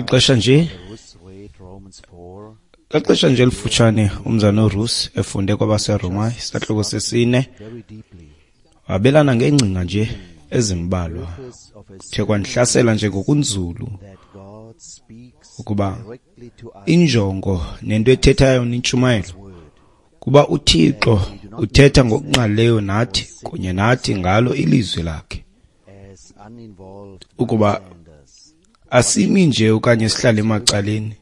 Xesha nje elifutshane umzana uRusi efunde kwabaseRoma isahluko sesine, wabelana ngeengcinga nje ezimbalwa. Kuthe kwandihlasela nje ngokunzulu ukuba injongo nento ethethayo intshumayelo kuba uThixo uthetha ngokungqalileyo nathi kunye nathi ngalo ilizwi lakhe, ukuba asimi nje okanye sihlale emacaleni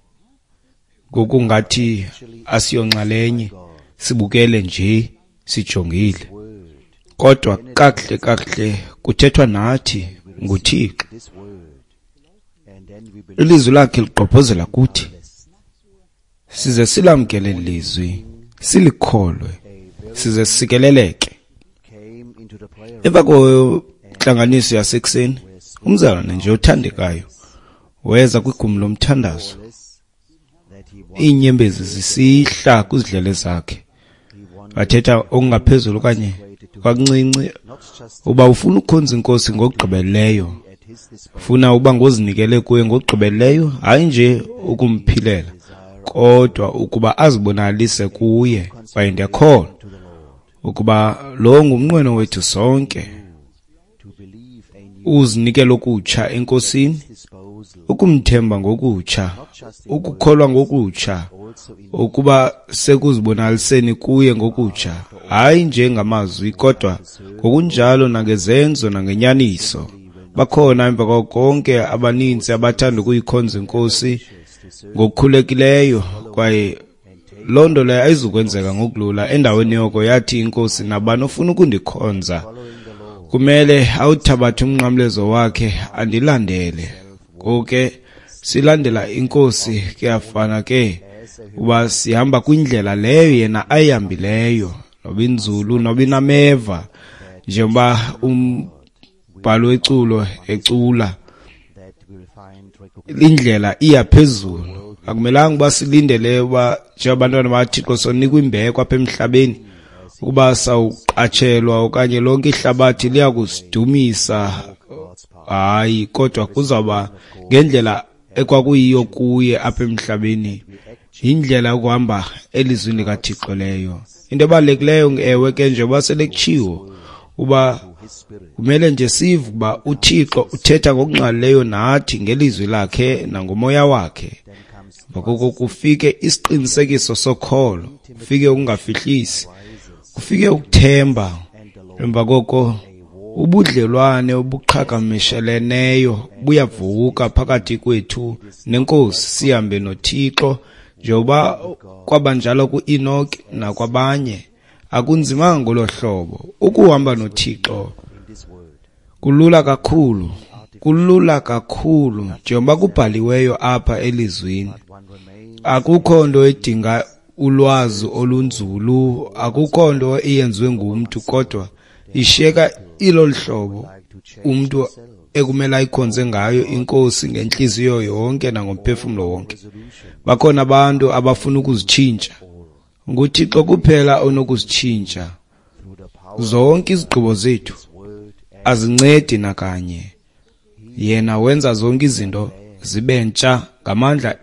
ngokungathi asiyonxalenye, sibukele nje sijongile, kodwa kakuhle kakuhle kuthethwa nathi nguThixo. Ilizwi lakhe ligqobhozela kuthi, size silamkele lizwi, silikholwe, size sikeleleke. Emva kwentlanganiso yasekuseni, umzalwane nje othandekayo weza kwigumbi lomthandazo, iinyembezi zisihla kwizidlele zakhe. Wathetha okungaphezulu okanye kancinci uba ufuna ukukhonza inkosi ngokugqibeleleyo, ufuna uba ngozinikele kuye ngokugqibeleleyo, hayi nje ukumphilela, kodwa ukuba azibonakalise kuye. Kwaye ndiyakholwa ukuba lo ngumnqweno wethu sonke, uzinikela okutsha enkosini, ukumthemba ngokutsha, ukukholwa ngokutsha, ukuba sekuzibonakaliseni kuye ngokutsha, hayi nje ngamazwi kodwa ngokunjalo nangezenzo nangenyaniso. Bakhona emva kwako konke abaninzi abathanda ukuyikhonza inkosi ngokukhulekileyo, kwaye loo nto leyo ayizukwenzeka ngokulula. Endaweni yoko yathi inkosi, nabani ofuna ukundikhonza kumele awuthabathe umnqamlezo wakhe andilandele. Ngoku ke silandela inkosi, kuyafana ke uba sihamba kwindlela leyo yena ayihambileyo, noba inzulu noba inameva, njengoba umbhalo weculo ecula, indlela iya phezulu. Akumelanga uba silindele uba njengabantwana bakaThixo sonikwa imbeko apha emhlabeni, ukuba sawuqatshelwa okanye lonke ihlabathi liyakusidumisa. Hayi, kodwa kuzawuba ngendlela ekwakuyiyo kuye apha emhlabeni, yindlela yokuhamba elizwini likaThixo leyo. Into ebalulekileyo, ewe ke, njengoba sele kutshiwo, uba kumele nje sive uba uThixo uthetha ngokungqalileyo nathi ngelizwi lakhe nangomoya wakhe. Ngoko kufike isiqinisekiso sokholo, kufike ukungafihlisi, kufike ukuthemba. Emva koko ubudlelwane obuqhagamsheleneyo buyavuka phakathi kwethu nenkosi, sihambe noThixo njengoba kwabanjalo kuEnoch nakwabanye. Akunzimanga ngolo hlobo ukuhamba noThixo, kulula kakhulu, kulula kakhulu njengoba kubhaliweyo apha elizwini. Akukho nto edinga ulwazi olunzulu, akukho nto eyenziwe ngumntu, kodwa ishiyeka ilolu hlobo umntu ekumele ayikhonze ngayo inkosi ngentliziyo yonke nangomphefumlo wonke. Bakhona abantu abafuna ukuzitshintsha, nguThixo kuphela onokuzitshintsha. Zonke izigqibo zethu azincedi nakanye, yena wenza zonke izinto zibe ntsha ngamandla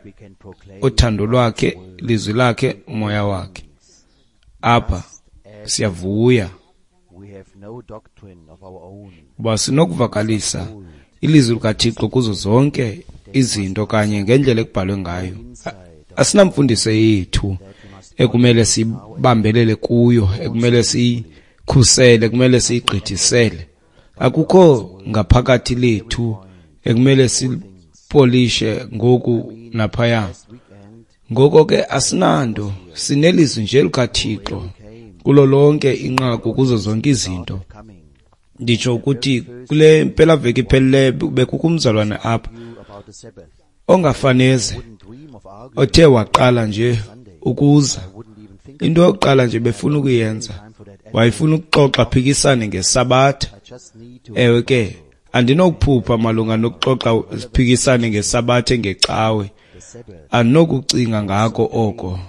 othando lwakhe, lizwi lakhe, umoya wakhe. Apha siyavuya uba sinokuvakalisa ilizwi likaThixo kuzo zonke izinto kanye ngendlela ekubhalwe ngayo. Asinamfundiso yethu ekumele sibambelele kuyo, ekumele siyikhusele, ekumele siyigqithisele. Akukho ngaphakathi lethu ekumele sipolishe ngoku naphaya. Ngoko ke asinanto, sinelizwi nje likaThixo kulo lonke inqaku kuzo zonke izinto. Nditsho ukuthi kule mpelaveki iphelileyo bekukho umzalwane apha ongafaneze othe waqala nje ukuza. Into yokuqala nje befuna ukuyenza, wayefuna ukuxoxa phikisane ngesabatha. Ewe ke, andinokuphupha malunga nokuxoxa siphikisane ngesabatha ngecawe, andinokucinga ngako oko,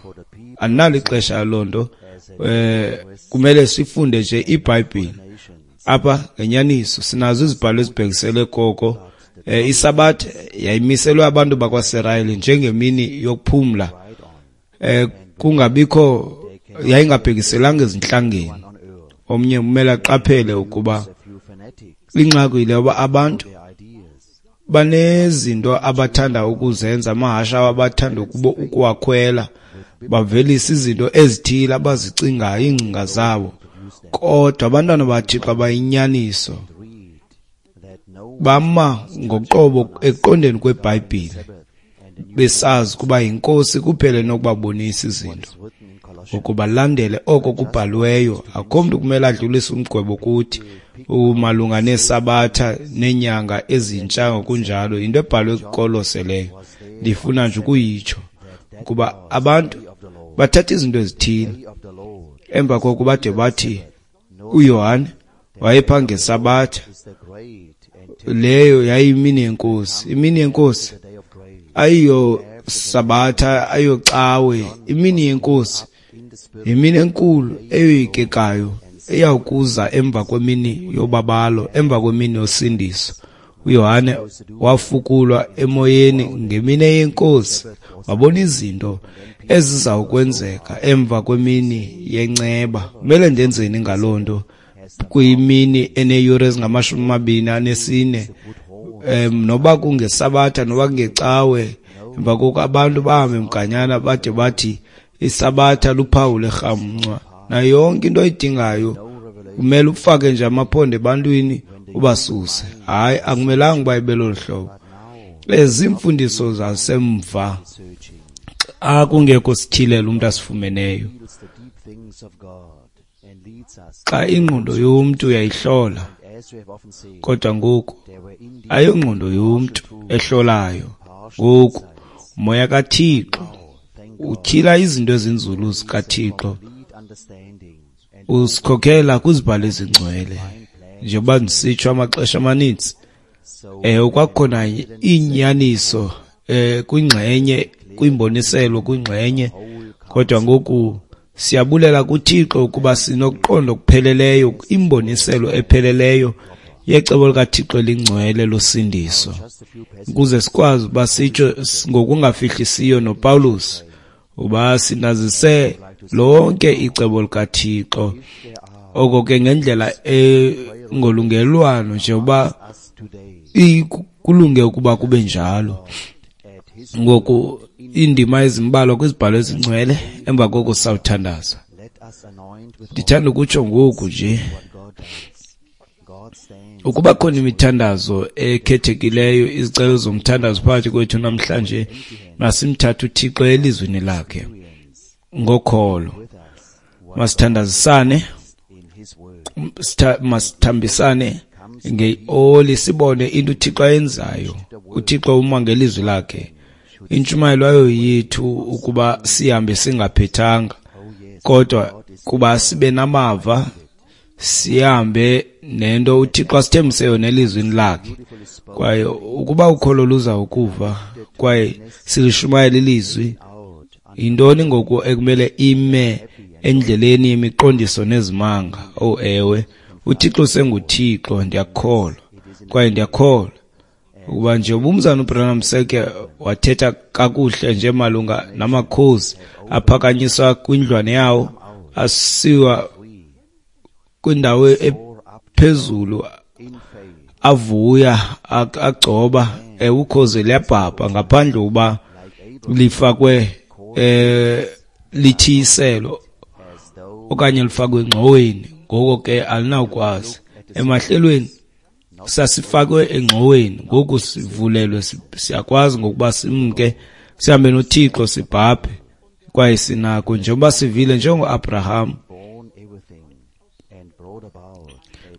andinalo ixesha loo nto. Kumele sifunde nje iBhayibhile apha ngenyaniso. Sinazo izibhalo ezibhekisele koko Isabatha yayimiselwe abantu bakwaSirayeli njengemini yokuphumla, kungabikho, yayingabhekiselanga ezintlangeni. Omnye umele aqaphele ukuba ingxaki yile yoba abantu banezinto abathanda ukuzenza, amahashe abathanda ukuwakhwela, bavelisa izinto ezithile abazicingayo, iingcinga zabo. Kodwa abantwana baThixo abayinyaniso bama ngoqobo ekuqondeni kweBhayibhile, besazi ukuba yiNkosi kuphela enokubabonisa izinto, ukubalandele oko kubhaliweyo. Akho mntu kumele adlulise umgwebo kuthi malunga neesabatha neenyanga ezintsha ngokunjalo. Yinto ebhalwe kuKolose leyo. Ndifuna nje ukuyitsho ukuba abantu bathatha izinto ezithile, emva koko bade bathi uYohane wayepha ngesabatha, leyo yayimini yeNkosi. Imini yeNkosi ayiyo sabatha, ayiyocawe. Imini yeNkosi yimini enkulu eyoyikekayo eyawukuza emva kwemini yobabalo, emva kwemini yosindiso. uYohane wafukulwa emoyeni ngemini yeNkosi, wabona izinto ezizawukwenzeka emva kwemini yenceba. Kumele ndenzeni ngaloo nto kwimini eneeyure ezingama-24, noba kungesabatha noba kungecawe? Emva koko abantu bahambe mganyana bade bathi isabatha luphawu lerhamncwa. Nayo yonke into oyidingayo kumele ufake nje amaphondo ebantwini ubasuse. Hayi, akumelanga uba ibe lolu hlobo. Ezi mfundiso zasemva xa kungekho sityhilelo umntu asifumeneyo. Xa ingqondo yomntu uyayihlola, kodwa ngoku ayongqondo yomntu ehlolayo. Ngoku umoya kaThixo utyhila izinto ezinzulu zikaThixo, usikhokhela kwizibhalo ezingcwele. Njengoba ndisitsho amaxesha amaninzi, kwakukhona inyaniso kwingxenye, kwimboniselo kwingxenye, kodwa ngoku siyabulela kuThixo ukuba sinokuqonda okupheleleyo, imboniselo epheleleyo yecebo likaThixo elingcwele losindiso, ukuze sikwazi uba sitsho ngokungafihlisiyo noPawulos uba sinazise lonke icebo likaThixo. Oko ke ngendlela engolungelwano nje uba kulunge ukuba kube njalo. Ngoku iindima ezimbalwa kwizibhalo ezingcwele, emva koko sawuthandaza. Ndithanda ukutsho ngoku nje ukuba khona imithandazo ekhethekileyo, izicelo zomthandazo phakathi kwethu namhlanje, masimthathe uThixo elizwini lakhe ngokholo. Masithandazisane, masithambisane ngeoli, sibone into uThixo ayenzayo. uThixo uma ngelizwi lakhe. Intshumayelo ayo yethu ukuba sihambe singaphethanga, kodwa kuba sibe namava, sihambe nento uThixo asithembise yona elizwini lakhe. Kwaye ukuba ukholo luza ukuva kwaye silishumayela ilizwi, yintoni ngoku ekumele ime endleleni yemiqondiso nezimanga? Oh ewe, uThixo usenguThixo, ndiyakholwa. Kwaye ndiyakholwa ukuba nje ubumzana uBranham seke wathetha kakuhle nje malunga namakhosi aphakanyiswa kwindlwane yawo, asiwa kwindawo ephezulu, avuya, agcoba. Ukhozi liyabhabha ngaphandle uba lifakwe lithiyiselo okanye lifakwe engxoweni. Ngoko ke alinawukwazi. Emahlelweni sasifakwe engxoweni, ngoku sivulelwe, siyakwazi ngokuba simke sihambe noThixo, sibhabhe. Kwaye sinako njengoba sivile njengoAbraham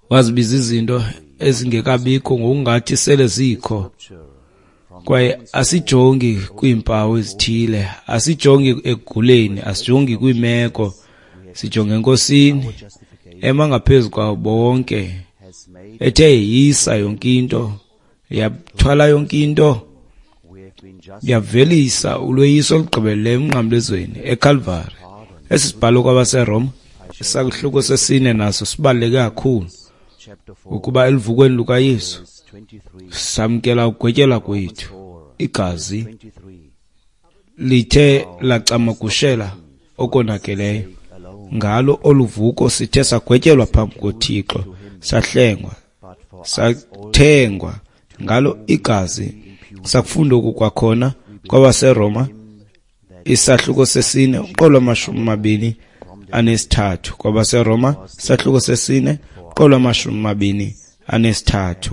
wazibiza izinto ezingekabikho ngokungathi sele zikho. Kwaye asijongi kwiimpawu ezithile, asijongi ekuguleni, asijongi kwiimeko, sijonge eNkosini ema ngaphezu kwawo bonke, ethe yisa yonke into, yathwala yonke into, yavelisa ulweyiso olugqibeleleyo emnqamlezweni eKalvari. Esi sibhalo kwabaseRoma isahluko sesine naso sibaluleke kakhulu, ukuba eluvukweni lukaYesu Samkela ukugwetyelwa kwethu. Igazi lithe lacamagushela okonakeleyo. Ngalo oluvuko sithe sagwetyelwa phambi koThixo, sahlengwa, sathengwa ngalo igazi. Sakufunda oku kwakhona kwabaseRoma isahluko sesine umqolo 23. KwabaseRoma isahluko sesine umqolo 23.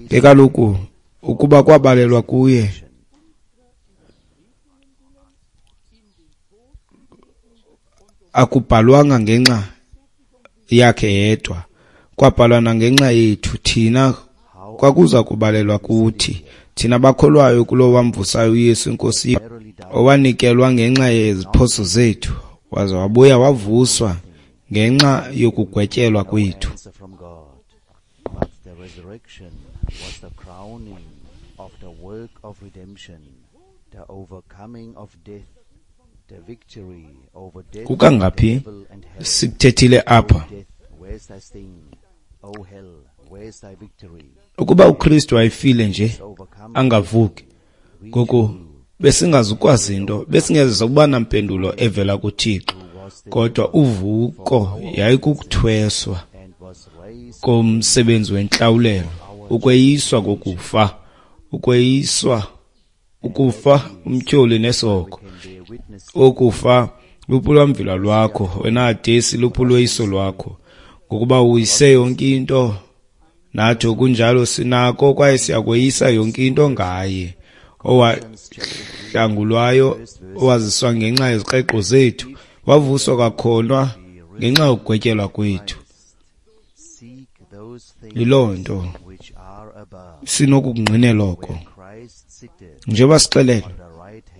Ke kaloku ukuba kwabalelwa kuye akubhalwanga ngenxa yakhe yedwa, kwabhalwa nangenxa yethu thina, kwakuza kubalelwa kuthi thina bakholwayo kulo wamvusayo uYesu iNkosi, owanikelwa ngenxa yeziphoso zethu, waza wabuya wavuswa ngenxa yokugwetyelwa kwethu. Kukangaphi sikuthethile apha? Ukuba uKristu wayefile nje angavuki, ngoku besingazukwazi into, besingeze ukuba nampendulo evela kuThixo. Kodwa uvuko yayikukuthweswa komsebenzi wentlawulelo, ukweyiswa kokufa, ukweyiswa ukufa umtyholi nesoko. Okufa luphi lwakho, wena Hadesi, luphi ulweyiso lwakho, ngokuba uyise yonke into. Nathi okunjalo sinako kwaye siyakweyisa yonke into ngaye, owahlangulwayo, owaziswa ngenxa yezikreqo zethu, wavuswa kwakhona ngenxa yokugwetyelwa kwethu. Yiloo nto sinokukungqinela oko. Njengoba sixelelwe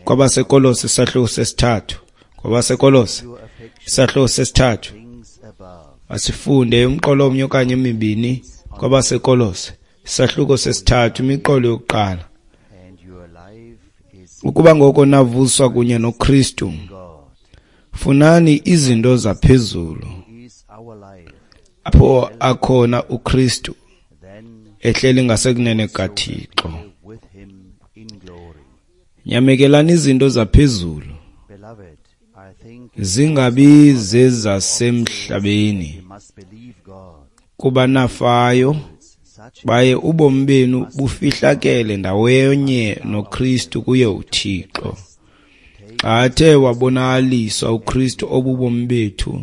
kwabaseKolose isahluko sesithathu, kwabaseKolose isahluko sesithathu, asifunde umqolo omnye okanye emibini kwabaseKolose isahluko sesithathu, imiqolo yokuqala. Ukuba ngoko navuswa kunye noKristu, funani izinto zaphezulu, apho akhona uKristu ehleli ngasekunene kukaThixo. Nyamekelani izinto zaphezulu, zingabi zezasemhlabeni, kuba nafayo, baye ubomi benu bufihlakele ndawonye noKristu kuye uThixo. Xa athe wabonakaliswa uKristu obubomi bethu,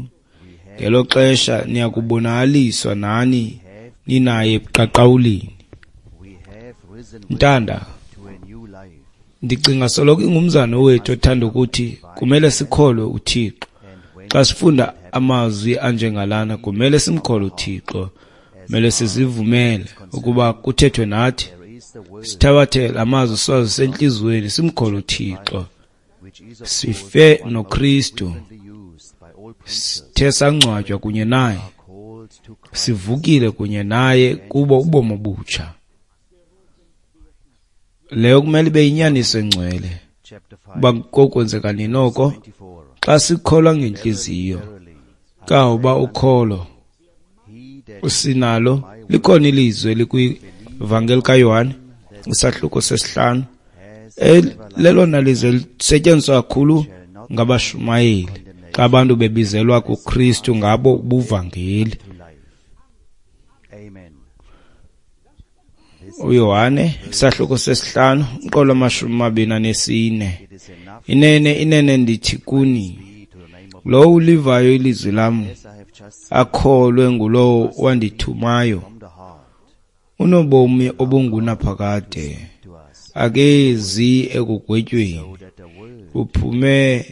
ngelo xesha niyakubonakaliswa nani ninaye ebuqaqawulini. Ntanda, ndicinga soloko ingumzana wethu othanda ukuthi kumele sikholwe uThixo. Xa sifunda amazwi anjengalana, kumele simkholwe uThixo, kumele sizivumele ukuba kuthethwe nathi, sithabathe la mazwi siwazise entliziyweni, simkholwe uThixo. Sife noKristu, sithe sangcwatywa kunye naye, sivukile kunye naye kubo ubomi obutsha. Leyo kumele ibe yinyaniso engcwele. Uba kokwenzeka nini oko? Xa sikholwa ngentliziyo. Kangoba ukholo usinalo, likhona ilizwi elikwivangeli kaYohane isahluko 5, lelona lizwi lisetyenziswa kakhulu ngabashumayeli xa abantu bebizelwa kuKristu ngabo ubuvangeli. uYohane isahluko 5 umqolo 24. Inene, inene ndithi kuni, lowo ulivayo ilizwi lam akholwe ngulowo wandithumayo, unobomi obungunaphakade, akezi ekugwetyweni, uphume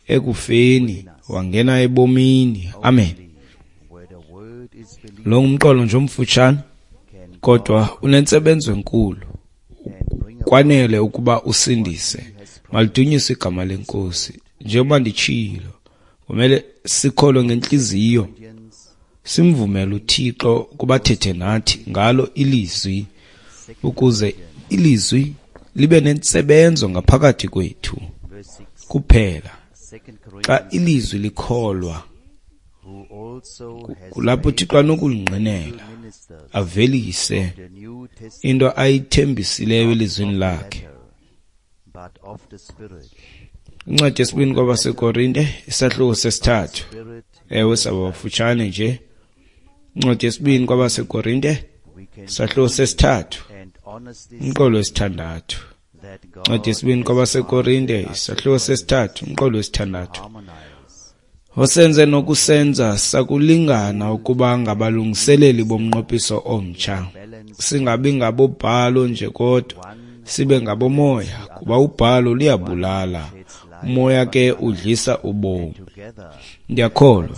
ekufeni wangena ebomini. Amen. Lo ngumqolo nje omfutshane, kodwa unentsebenzo enkulu, kwanele ukuba usindise. Malidunyiswe igama leNkosi. Njengoba nditshilo, kumele sikholwe ngentliziyo, simvumele uThixo ukuba athethe nathi ngalo ilizwi, ukuze ilizwi libe nentsebenzo ngaphakathi kwethu. Kuphela xa ilizwi likholwa Kulapho uThixo anokulingqinela avelise into ayithembisileyo elizwini lakhe. Incwadi yesibini kwabaseKorinte, isahluko sesithathu. Ewe, sabafutshane nje. Incwadi yesibini kwabaseKorinte, isahluko sesithathu, umqolo wesithandathu. Incwadi yesibini kwabaseKorinte, isahluko sesithathu, umqolo wesithandathu. Osenze nokusenza sakulingana ukuba ngabalungiseleli bomnqophiso omtsha, singabi ngabobhalo nje kodwa sibe ngabomoya, kuba ubhalo luyabulala, umoya ke udlisa ubomi. Ndiyakholwa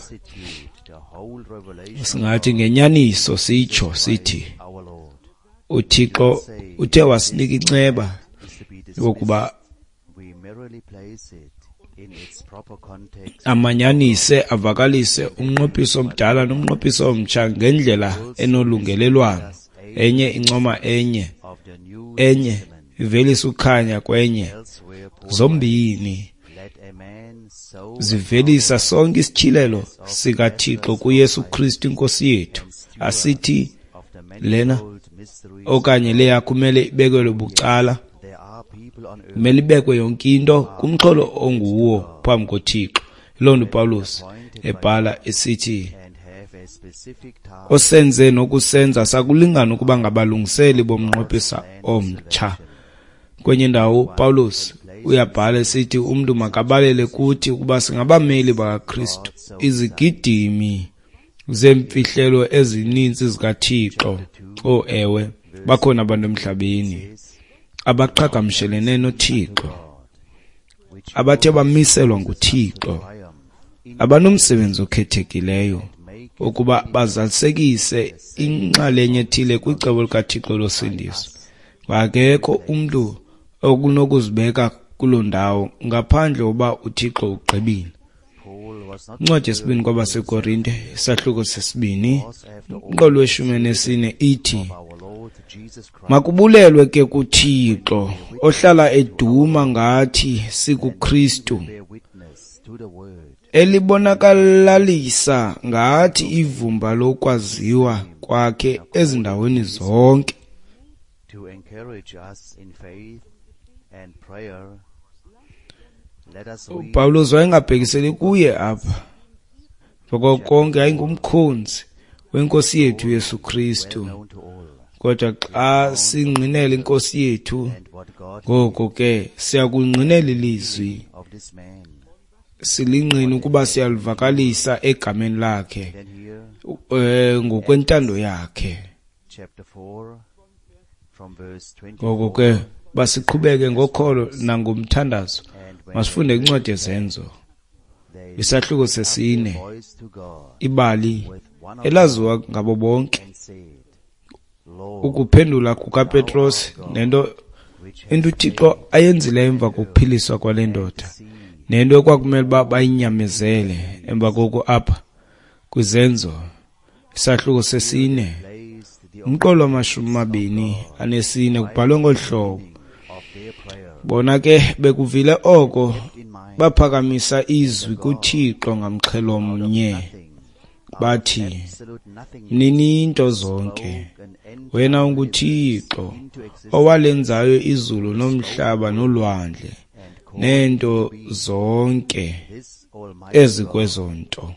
singathi ngenyaniso sitsho sithi uThixo uthe wasinika inceba yokuba amanyanise avakalise umnqophiso omdala nomnqophiso omtsha ngendlela enolungelelwano, enye incoma enye, enye ivelisa ukukhanya kwenye, zombini zivelisa sonke isityhilelo sikaThixo kuYesu Kristu iNkosi yethu. Asithi lena okanye leya kumele ibekelwe bucala, kumele ibekwe yonke into kumxholo onguwo phambi koThixo. Yiloo nto uPawulos ebhala esithi osenze nokusenza sakulingana ukuba ngabalungiseli bomnqophiso omtsha. Kwenye indawo uPawulos uyabhala esithi umntu makabalele kuthi ukuba singabameli bakaKristu, izigidimi zeemfihlelo ezininzi zikaThixo. Oh ewe, bakhona abantu emhlabeni abaqhagamshelene noThixo, abathe bamiselwa nguThixo, abanomsebenzi okhethekileyo ukuba bazalisekise inxalenye ethile kwicebo likaThixo losindiso. Akekho umntu okunokuzibeka kuloo ndawo ngaphandle uba uThixo ugqibile. Incwadi yesibini kwabaseKorinte, isahluko sesibini, umqolo weshumi nesine ithi, makubulelwe ke kuThixo ohlala eduma ngathi sikuKristu, elibonakalalisa ngathi ivumba lokwaziwa kwakhe ezindaweni zonke. To encourage us in faith and prayer, let us read uPawulos wayengabhekiseli kuye apha, ngoko konke yayingumkhonzi wenkosi yethu Yesu Kristu. Well known to all, Kodwa xa singqinela inkosi yethu, and what God ngoko ke siyakungqinela ilizwi, of this man. silingqina ukuba siyalivakalisa egameni lakhe, Then here, ngokwentando yakhe. chapter 4, from verse 24. Ngoko ke basiqhubeke ngokholo nangomthandazo. And when Masifunde incwadi yeZenzo, they isahluko lifted up their sesine, voice to God ibali with one elaziwa ngabo bonke, and said, Lord, ukuphendula kukaPetros nento which into uThixo ayenzileyo emva kokuphiliswa kwale ndoda, nento ekwakumele uba bayinyamezele emva koko. Apha kwiZenzo isahluko sesine, placed the umqolo wama-24 kubhalwe ngolu hlobo: of their prayer bona ke bekuvile oko, in mind baphakamisa izwi kuThixo ngamxhelo mnye, nothing, bathi, absolute nothing, Mnini-nto zonke, spoke an end wena unguThixo into existence owalenzayo izulu nomhlaba nolwandle and called neento zonke this Almighty ezikwezo nto.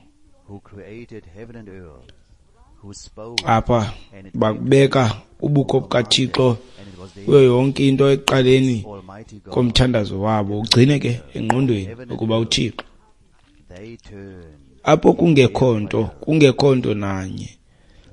who created heaven and earth, who spoke Apha bakubeka ubukho bukaThixo and it was there, kuyo yonke into ekuqaleni Almighty God. komthandazo wabo. Ugcine ke engqondweni ukuba uThixo They turned apho kungekho nto nanye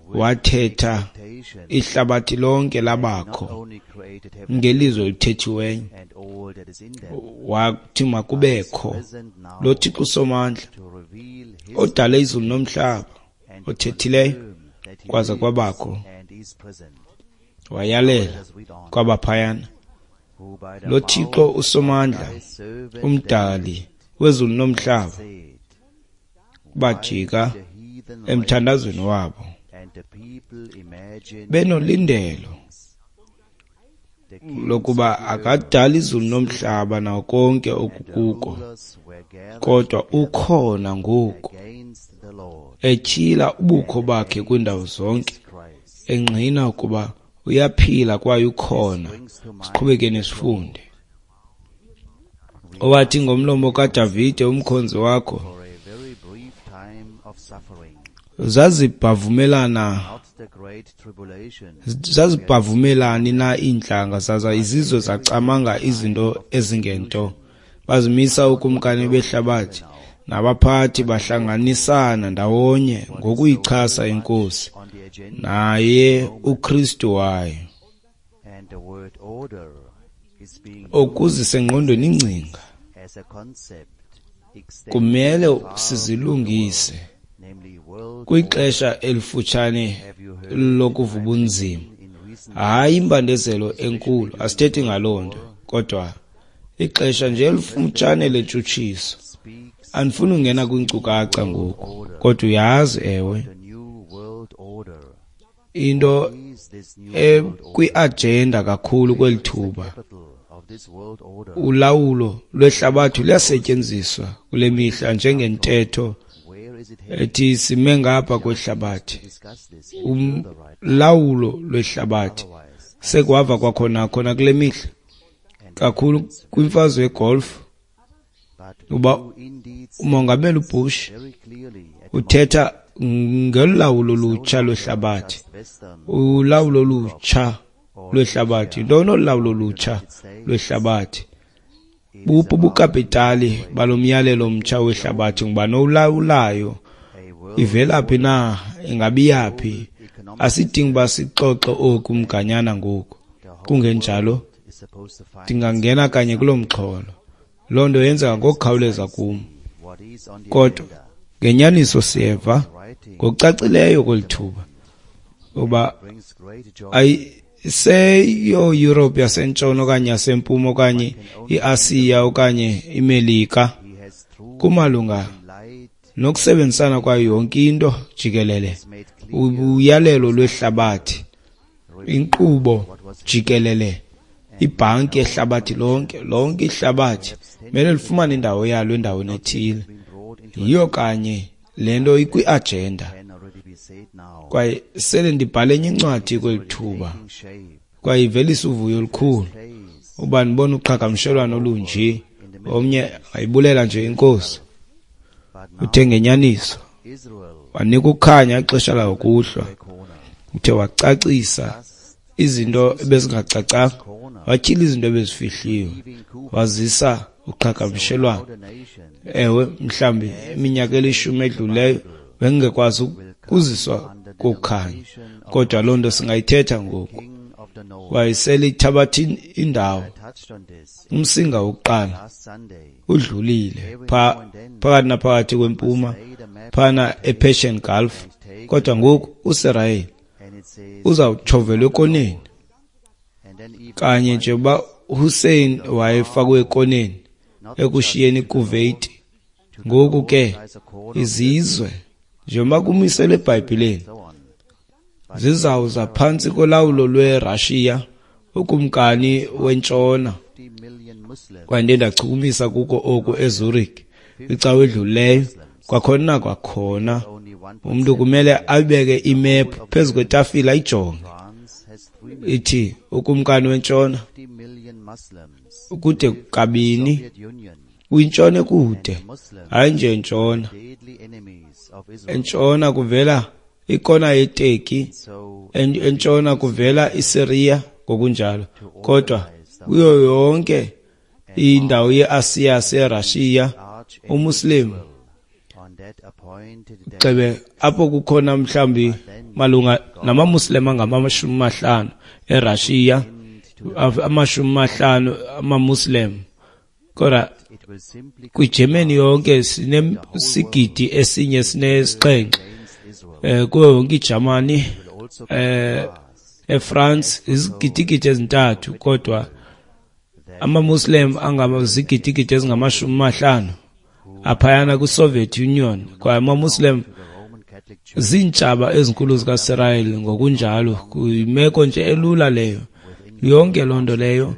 wathetha, expectation ihlabathi lonke not labakho only created heaven ngelizwi elithethiweyo, and all that is in them, wathi makubekho. present now Lo Thixo usomandla to reveal his odala izulu nomhlaba, and to othethileyo confirm that he kwaza lives kwabakho, and is present. wayalela Let us read on. kwabaphayana. Who by the Lo Thixo mouth usomandla, of thy servant umdali wezulu nomhlaba, said, bajika the heathen emthandazweni wabo and the people imagine benolindelo lokuba akadala izulu nomhlaba nawo konke okukuko, kodwa ukhona ngoku etyhila ubukho bakhe kwiindawo zonke, engqina ukuba uyaphila kwaye ukhona. Siqhubekeni sifunde. Owathi ngomlomo kaDavide umkhonzi wakho, zazibhavumelani na iintlanga, zaza izizwe zacamanga izinto ezingento. Bazimisa ookumkani behlabathi, nabaphathi bahlanganisana ndawonye ngokuyichasa iNkosi naye uKristu wayo. Okuzisa engqondweni ingcinga, kumele sizilungise kwixesha elifutshane lokuva ubunzima. Hayi imbandezelo enkulu, asithethi ngaloo nto, kodwa ixesha nje elifutshane lentshutshiso. Andifuni ungena kwiinkcukacha ngoku, kodwa uyazi, ewe, into ekwi-agenda kakhulu kweli thuba, ulawulo lwehlabathi luyasetyenziswa kule mihla njengentetho ethi sime ngapha kwehlabathi. Ulawulo lwehlabathi sekuhava kwakhona khona kule mihla kakhulu kwimfazwe yegolf, uba umongameli uBush uthetha ngelawulo olutsha lwehlabathi, ulawulo olutsha lwehlabathi. Ntoni olawulo olutsha lwehlabathi? Buphi ubukapitali balo myalelo mtsha wehlabathi? Ngubani owulawulayo? Ivela phi na? Ingabi yaphi? Asidingi uba sixoxe oku mganyana ngoku, kungenjalo ndingangena kanye kuloo mxholo. Loo nto yenzeka ngokukhawuleza kum, kodwa ngenyaniso siyeva ngokucacileyo kweli thuba uba ayiseyo Europe yasentshona okanye yasempuma okanye iAsiya okanye iMelika, kumalunga nokusebenzisana kwayo yonke into jikelele, uyalelo lwehlabathi, inkqubo jikelele, ibhanki yehlabathi lonke, lonke ihlabathi mele lifumane indawo yalo endaweni ethile. Yiyo kanye le nto ikwi-agenda. Kwaye sele ndibhale enye incwadi kweli thuba, kwaye ivelisa uvuyo olukhulu uba ndibona uqhagamshelwano olunje. Omnye ayibulela nje iNkosi, uthe ngenyaniso wanika ukukhanya ixesha lakuhlwa, uthe wacacisa izinto ebezingacacanga, watyhila izinto ebezifihliwe, wazisa uqhagamshelwano. Ewe, mhlawumbi iminyaka elishumi edluleyo bengingekwazi ukuziswa kokukhanya, kodwa loo nto singayithetha ngoku. Kwaye sele ithabatha indawo. Umsinga wokuqala udlulile phakathi naphakathi kwempuma phana ePersian Gulf, kodwa ngoku uSirayeli uzawutshovelwa ekoneni kanye nje uba Hussein wayefakwe ekoneni ekushiyeni iKuwait. Ngoku ke izizwe njengoba kumiselwe eBhayibhileni zizawuza phantsi kolawulo lweRussia, ukumkani wentshona. Kwaye ndiye ndachukumisa kuko oku eZurich kwicawa edlulileyo. Kwakhona nakwakhona umntu kumele abeke imephu phezu kwetafile ayijonge, ithi ukumkani wentshona kude kabini, kwintshona ekude, hayi nje entshona. Entshona kuvela ikona yeTurkey, entshona kuvela iSyria ngokunjalo, kodwa kuyo yonke indawo yeAsiya yaseRussia uMuslim gxebe apho kukhona mhlawumbi malunga namaMuslim angama-50 eRussia, 50 amaMuslim, kodwa kwiGermany yonke sinesigidi esinye sinesixhenxe, kuyo yonke iJamani, eFrance izigidigidi ezintathu, kodwa amaMuslim angazigidigidi ezingama-50 aphayana kwiSoviet Union. Kwaye amaMuslim ziintshaba ezinkulu zikaSirayeli ngokunjalo. Kuyimeko nje elula leyo. Yonke loo nto leyo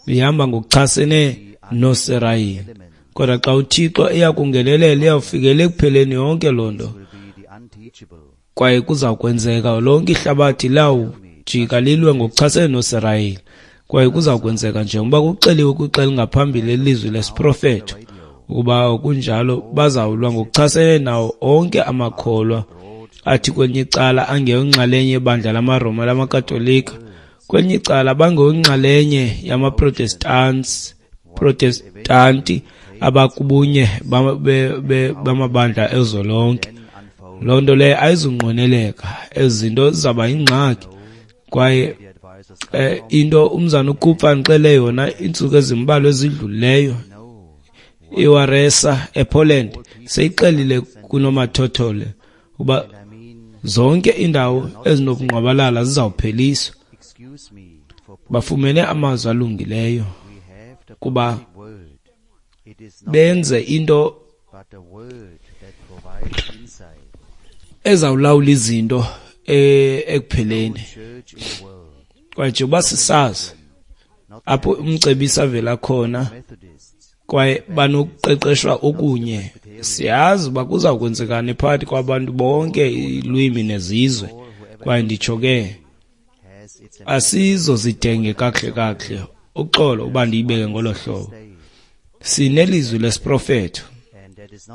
ihamba ngokuchasene noSirayeli. Kodwa xa uThixo eya kungenelela, iyawufikela ekupheleni yonke loo nto. Kwaye kuza kwenzeka lonke ihlabathi lawujika lilwe ngokuchasene noSirayeli. Kwaye kuza kwenzeka njengoba kuxeliwe kwixa elingaphambili elizwi lesiprofeto ukuba kunjalo, bazawulwa ngokuchasene nawo onke amakholwa athi kwelinye icala angeyonxalenye yebandla lamaRoma lamaKatolika, kwelinye icala bangeyonxalenye yamaProtestanti abakubunye bamabandla ezolonke. Loo nto leyo ayizunqweneleka, ezi zinto zizawuba yingxaki. Kwaye into umzana uKupfa ndixele yona iintsuku ezimbalwa ezidlulileyo, iWaresa ePoland seyixelile kunomathotholo uba zonke iindawo ezinobungqwabalala zizawupheliswa. Bafumene amazwi alungileyo kuba benze into ezawulawula izinto ekupheleni. Kwaye njengoba sisazi apho umcebisi avela khona, kwaye banokuqeqeshwa okunye, siyazi uba kuza kwenzekani phakathi kwabantu bonke iilwimi nezizwe. Kwaye nditsho ke asizozidenge kakuhle kakuhle, uxolo uba ndiyibeke ngolo hlobo. Sinelizwi lesiprofeto,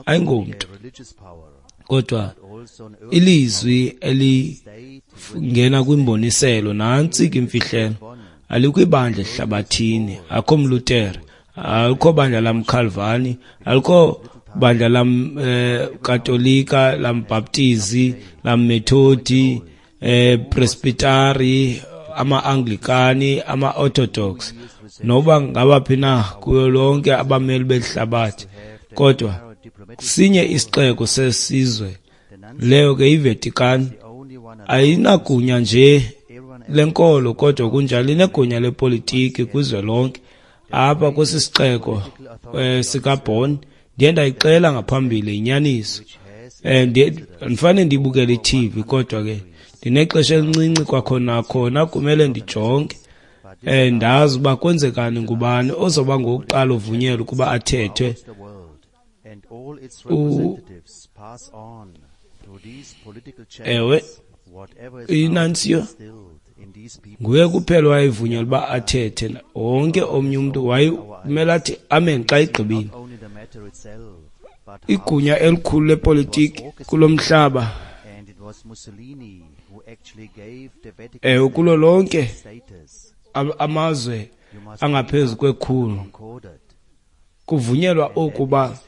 ayingomntu, kodwa ilizwi elingena kwimboniselo. Nantsi ke imfihlelo, alikwibandla ehlabathini, akho mLutere, alikho bandla lamKhalvani, alikho bandla lamKatolika, lamBhaptizi, lamMethodi, Presbyteri, ama-Anglikani, ama-Orthodox, noba ngabaphi na kuyo lonke abameli behlabathi. Kodwa sinye isixeko sesizwe, leyo ke iVatican. Ayinagunya nje lenkolo, kodwa kunjalo inegunya lepolitiki kwizwe lonke. Apha kwesi sixeko sikaBonn, ndiye ndayixela ngaphambili inyaniso. Ndifane ndibukele i-TV, kodwa ke ndinexesha elincinci kwakhona khona kumele ndijonge. Ndazi uba kwenzekani, ngubani ozoba ngowokuqala uvunyelwa ukuba athethe. Ewe, inansiyo nguye kuphela wayevunyelwa uba athethe. Wonke omnye umntu wayemele athi amen xa igqibile. Igunya elikhulu lepolitiki kulo mhlaba, ewe, kulo lonke amazwe angaphezu kwekhulu, kuvunyelwa okuba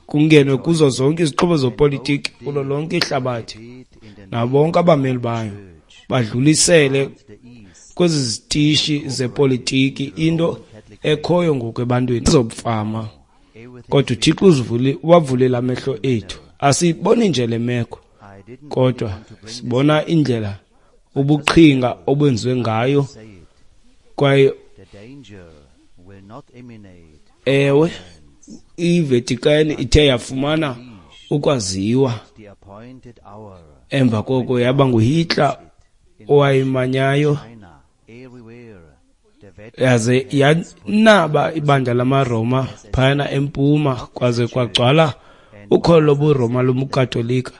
kungenwe kuzo zonke izixhobo zopolitiki kulo lonke ihlabathi, nabo bonke abameli bayo badlulisele kwezi zitishi zepolitiki into ekhoyo ngoku ebantwini zobufama. Kodwa uThixo uwavulile amehlo ethu. Asiboni nje le meko, kodwa sibona indlela ubuqhinga obenziwe ngayo. Kwaye ewe, iVatican ithe yafumana ukwaziwa emva koko yaba nguHitler owayimanyayo, yaze yanaba ibandla lamaRoma phayana empuma, kwaze kwagcwala ukholo lobuRoma lobuKatolika.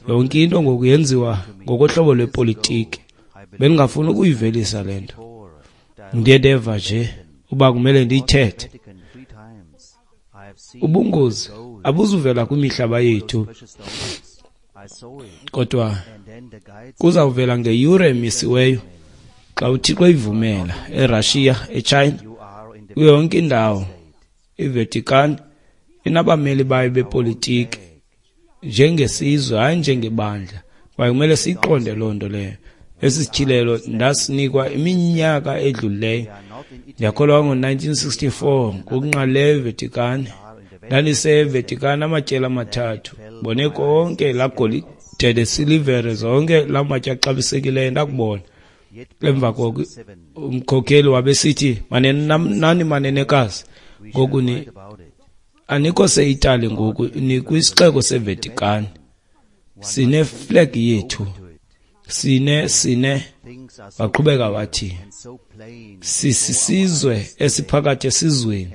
Yonke into ngoku yenziwa ngokohlobo lwepolitiki. Bendingafuni ukuyivelisa le nto, ndiye ndeva nje uba kumele ndiyithethe. Ubungozi abuzuvela kwimihlaba yethu, kodwa kuzawuvela ngeyure emisiweyo xa uThixo eyivumela. eRussia, eChina, kuyo yonke indawo iVatican inabameli bayo bepolitiki njengesizwe, hayi njengebandla. Kwaye kumele siyiqonde loo nto leyo. Esi sityhilelo ndasinikwa iminyaka edlulileyo, ndiyakholwa ngo-1964, ngokunqalileyo eVatican. NdandiseVatican amatyeli amathathu, bone konke laa golide nesilivere, zonke laa matye axabisekileyo ndakubona. Emva koko umkhokheli wabesithi, nani manenekazi, ngoku ni anikho seItali ngoku, nikwisixeko seVatican, sineflag yethu, 4:4. Waqhubeka wathi, sisisizwe esiphakathi esizweni,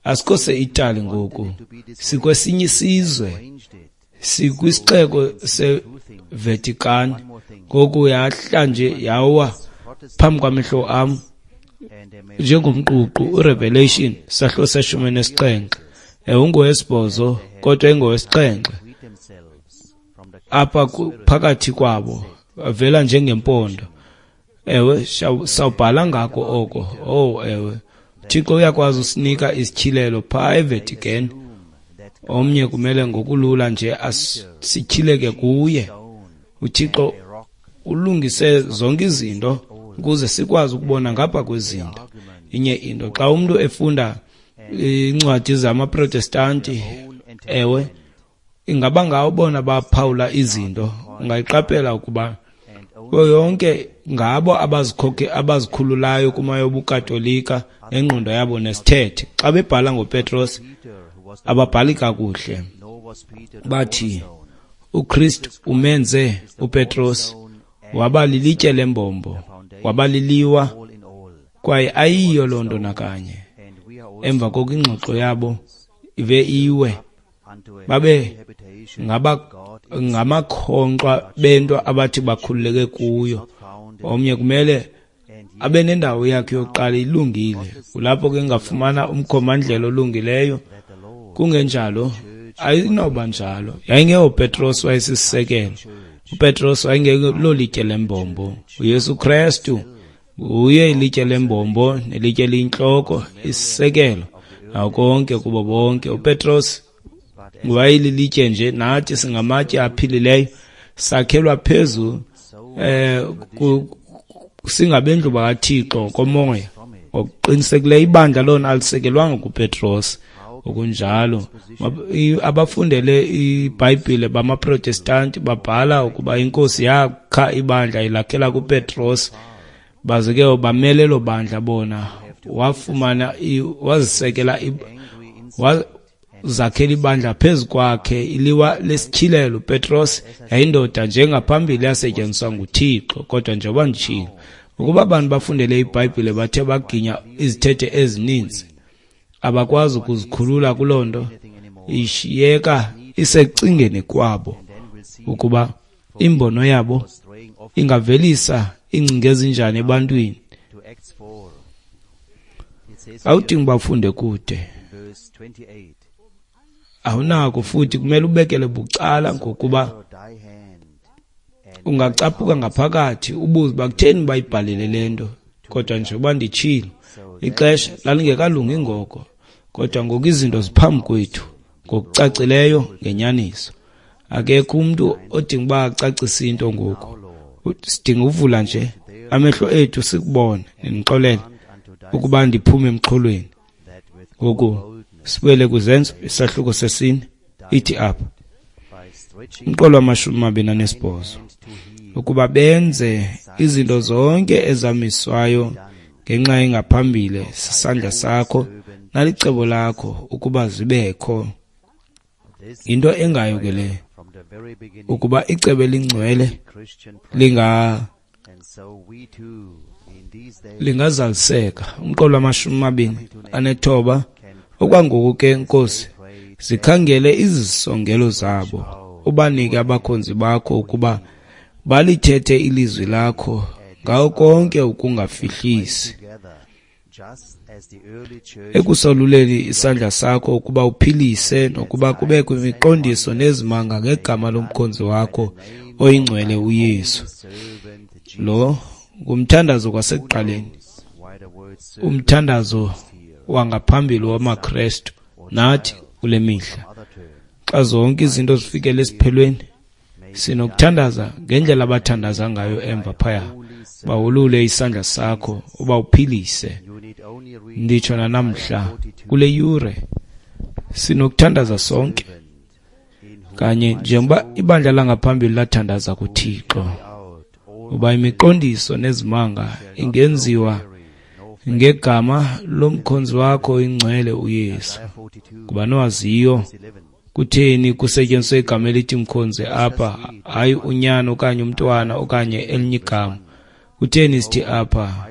asikho se-Itali ngoku, sikwesinye isizwe, sikwisixeko seVatican. Ngoku yahla nje yawa phambi kwamehlo am njengomququ. URevelation sahluko se-17, ungowesibhozo kodwa ingowesixhenxe apha phakathi kwabo avela njengempondo. Ewe, sawubhala ngako oko. Oh ewe, Thixo uyakwazi usinika isityhilelo phaa eVatican. Omnye kumele ngokulula nje asityhileke kuye. UThixo ulungise zonke izinto ukuze sikwazi ukubona ngapha kwezinto. Inye into, xa umntu efunda iincwadi zamaProtestanti, ewe, ingaba ngawo bona baphawula izinto, ungayiqaphela ukuba kuyo yonke ngabo abazikhululayo kuma yobuKatolika nengqondo yabo nesithethe. Xa bebhala ngoPetros ababhali kakuhle, bathi uKristu umenze uPetros waba lilitye lembombo, waba liliwa, kwaye ayiyo loo nto nakanye. Emva koko ingxoxo yabo ive iwe, babe ngamakhonkxwa bento abathi bakhululeke kuyo. Omnye kumele abe nendawo yakhe yokuqala ilungile, kulapho ke ngafumana umkhombandlela olungileyo. Kungenjalo ayinoba njalo. YayingeyoPetros wayesisisekelo, uPetros wayengelolitye lembombo. uYesu Krestu uye ilitye lembombo nelitye eliyintloko, isisekelo nawo konke kubo bonke. uPetros wayelilitye nje, nathi singamatye aphilileyo, sakhelwa phezu singabendlu bakaThixo komoya. Ngokuqinisekileyo ibandla lona alisekelwanga kuPetros. Okunjalo abafundele iBhayibhile bamaProtestanti babhala ukuba inkosi yakha ibandla ilakhela kuPetros, baze ke bamele lo bandla bona. Wafumana wazisekela zakhela ibandla phezu kwakhe, iliwa lesityhilelo. Petros yayindoda njengaphambili yasetyenziswa nguThixo. Kodwa njengoba nditshilo, ukuba abantu bafundele iBhayibhile bathe baginya izithethe ezininzi, abakwazi ukuzikhulula kuloo nto, ishiyeka isecingeni kwabo ukuba imbono yabo ingavelisa iingcinga ezinjani ebantwini. Awudingi bafunde kude, awunako futhi kumele ubekele bucala, ngokuba ungacaphuka ngaphakathi ubuze uba kutheni bayibhalile le nto. Kodwa njengoba nditshilo, ixesha lalingekalungi ngoko, kodwa ngoku izinto ziphambi kwethu ngokucacileyo ngenyaniso. Akekho umntu odinga uba acacise into ngoku, sidinga uvula nje amehlo ethu sikubone. Ndinixolele ukuba ndiphume emxholweni. Ngoku sibuyele kwiZenzo isahluko 4, ithi apha umqolo wa-28, ukuba benze izinto zonke ezamiswayo ngenxa engaphambili sisandla sakho nalicebo lakho ukuba zibekho. Yinto engayo ke le, ukuba icebo elingcwele lingazaliseka. Umqolo wa-29, okwangoku ke Nkosi, zikhangele izisongelo zabo, ubanike abakhonzi bakho ukuba balithethe ilizwi lakho ngawo konke ukungafihlisi, ekusoluleni isandla sakho ukuba uphilise nokuba kubekho imiqondiso nezimanga ngegama lomkhonzi wakho oyingcwele uYesu. Lo ngumthandazo kwasekuqaleni, umthandazo wangaphambili wamaKrestu nathi kule mihla. Xa zonke izinto zifikele esiphelweni, sinokuthandaza ngendlela abathandaza ngayo emva phaya. Bawulule isandla sakho uba uphilise. Nditsho nanamhla kule yure sinokuthandaza sonke kanye njengoba ibandla langaphambili lathandaza kuThixo, uba imiqondiso nezimanga ingenziwa ngegama lomkhonzi wakho ingcwele uYesu, kuba nowaziyo Kutheni kusetyenziswe igama elithi mkhonzi apha, hayi unyana okanye umntwana okanye elinye igama? Kutheni sithi apha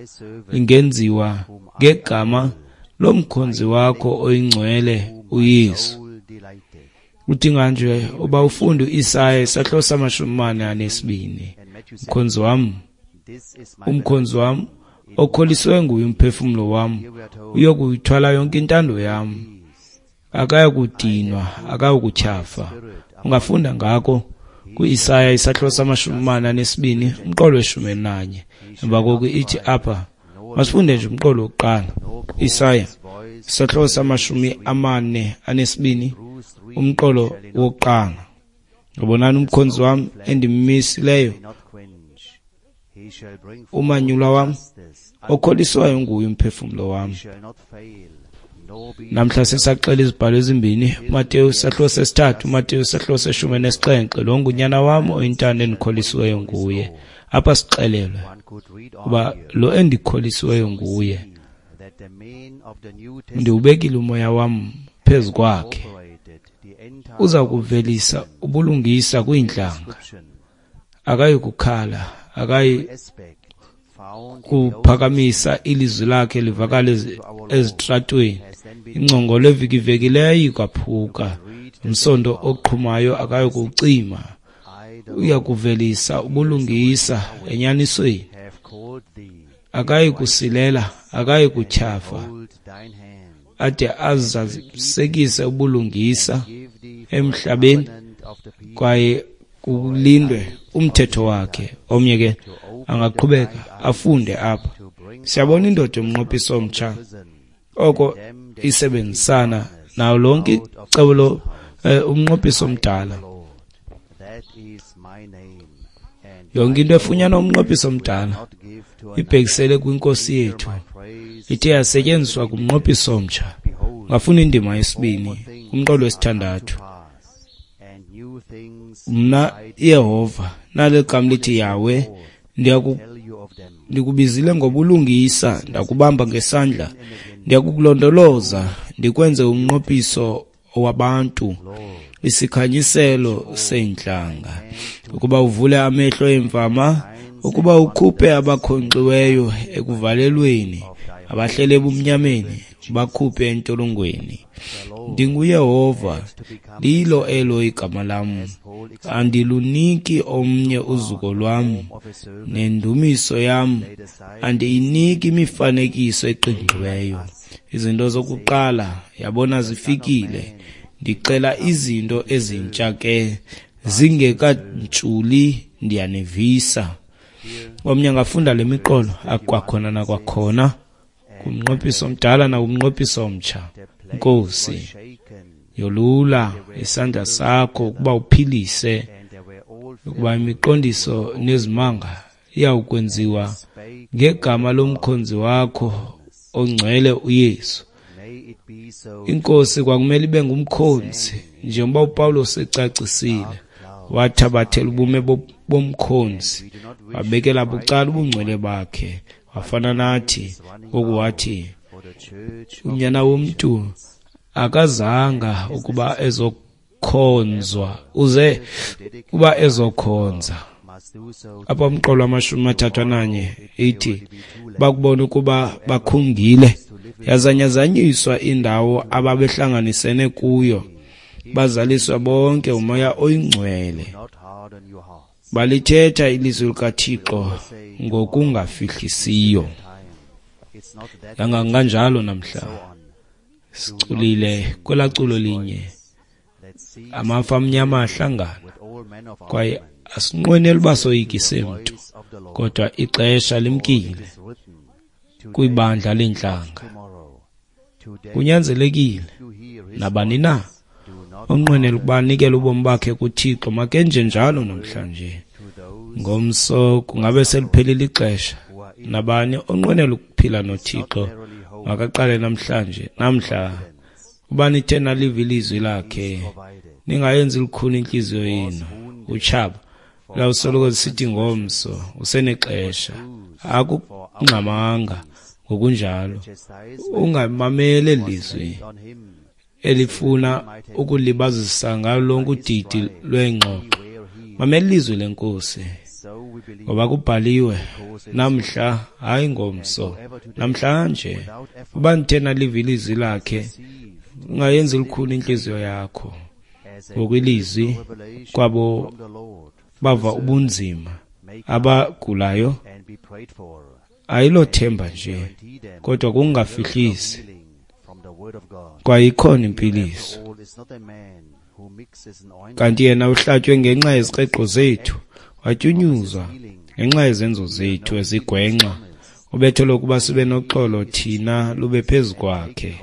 ingenziwa ngegama lomkhonzi wakho oyingcwele uYesu? Udinga nje uba ufunde uIsaya isahluko sama-42. Mkhonzi wam, umkhonzi wam okholiswe nguye umphefumlo wam, uyokuyithwala yonke intando yam. Akayakudinwa, akayokutyhafa. Ungafunda ngako kuIsaya isahluko sama-42 umqolo we-11. Emva koko ithi apha, masifunde nje umqolo wokuqala. Isaya isahluko sama-42 umqolo wokuqala. Yabonani umkhonzi wam endimisileyo, umanyulwa wam, okholiswayo nguye umphefumlo wam. Namhla sisaxela izibhalo ezimbini, uMateyu isahluko sesithathu, uMateyu isahluko seshumi nesixhenxe. Lo ngunyana wam oyintando endikholisiweyo nguye. Apha sixelelwe uba lo endikholisiweyo nguye, ndiwubekile umoya wam phezu kwakhe, uza kuvelisa ubulungisa kwiintlanga. Akayi kukhala, akayi kuphakamisa ilizwi lakhe livakale ezitratweni. Ingcongolo evikivekileyo ikwaphuka, umsondo oqhumayo akayi kuwucima. Uya kuvelisa ubulungisa enyanisweni, akayi kusilela, akayi kutyhafa, ade azalisekise ubulungisa emhlabeni, kwaye kulindwe umthetho wakhe. Omnye ke angaqhubeka afunde apha. Siyabona indoda yomnqophiso omtsha oko isebenzisana nawo lonke icebo lo umnqophiso omdala. Yonke into efunyanwa umnqophiso omdala ibhekisele kwinkosi yethu, ithe yasetyenziswa kumnqophiso omtsha. Ungafunda indima yesibini kumqolo wesithandathu. Mna Yehova, nale gama lithi Yahweh, ndikubizile ngobulungisa, ndakubamba ngesandla, ndiyakukulondoloza, ndikwenze umnqophiso wabantu, isikhanyiselo seentlanga, ukuba uvule amehlo eemfama, ukuba ukhuphe abakhonkxiweyo ekuvalelweni, abahlele ebumnyameni, ubakhuphe entolongweni. NdinguYehova, lilo elo igama lam. Andiluniki omnye uzuko lwam, nendumiso yam andiyiniki imifanekiso eqingqiweyo. Izinto zokuqala yabona zifikile, ndixela izinto ezintsha ke, zingekantshuli ndiyanivisa. Omnye angafunda le miqolo akwakhona nakwakhona, kumnqophiso omdala nakumnqophiso omtsha. Nkosi, yolula isandla sakho ukuba uphilise, ukuba imiqondiso nezimanga iyawukwenziwa ngegama lomkhonzi wakho ongcwele uYesu. Inkosi kwakumele ibe ngumkhonzi, njengoba uPawulos ecacisile, wathabathela ubume bomkhonzi, wabekela bucala ubungcwele bakhe, wafana nathi. Ngoku wathi unyana womntu akazanga ukuba ezokhonzwa, uze kuba ezokhonza. Apha umqolo wama-31 ithi bakubona ukuba bakhungile, yazanyazanyiswa indawo ababehlanganisene kuyo, bazaliswa bonke umoya oyingcwele, balithetha ilizwi likaThixo ngokungafihlisiyo. Kanganjalo namhla siculile kwelaa culo linye, amafu amnyama ahlangana, kwaye asinqweneli uba soyikise mntu, kodwa ixesha limkile kwibandla leentlanga. Kunyanzelekile nabani na onqwenela ukuba anikele ubomi bakhe kuThixo makenje njalo namhlanje. Ngomso kungabe seliphelile ixesha. Nabani onqwenela ukuphila noThixo makaqale namhlanje. Namhla uba nithe naliva ilizwi lakhe, ningayenzi lukhuni intliziyo yenu. Utshaba lawusoloko sithi ngomso usenexesha, akungxamanga ngokunjalo. Ungamameli eli lizwi. elifuna ukulibazisa ngalo lonke udidi lweengxoxo. Mamela ilizwi leNkosi, ngoba kubhaliwe namhla, hayi ngomso, namhlanje. Uba nithe naliva ilizwi lakhe, ungayenzi lukhuni intliziyo yakho. Ngokwelizwi kwabo bava ubunzima, abagulayo, ayilothemba nje, kodwa kungafihlisi. Kwaye ikhona impiliso. Kanti yena uhlatywe ngenxa yezikreqo zethu, watyunyuzwa ngenxa yezenzo zethu ezigwenxa. Ubetho lokuba sibe noxolo thina lube phezu kwakhe.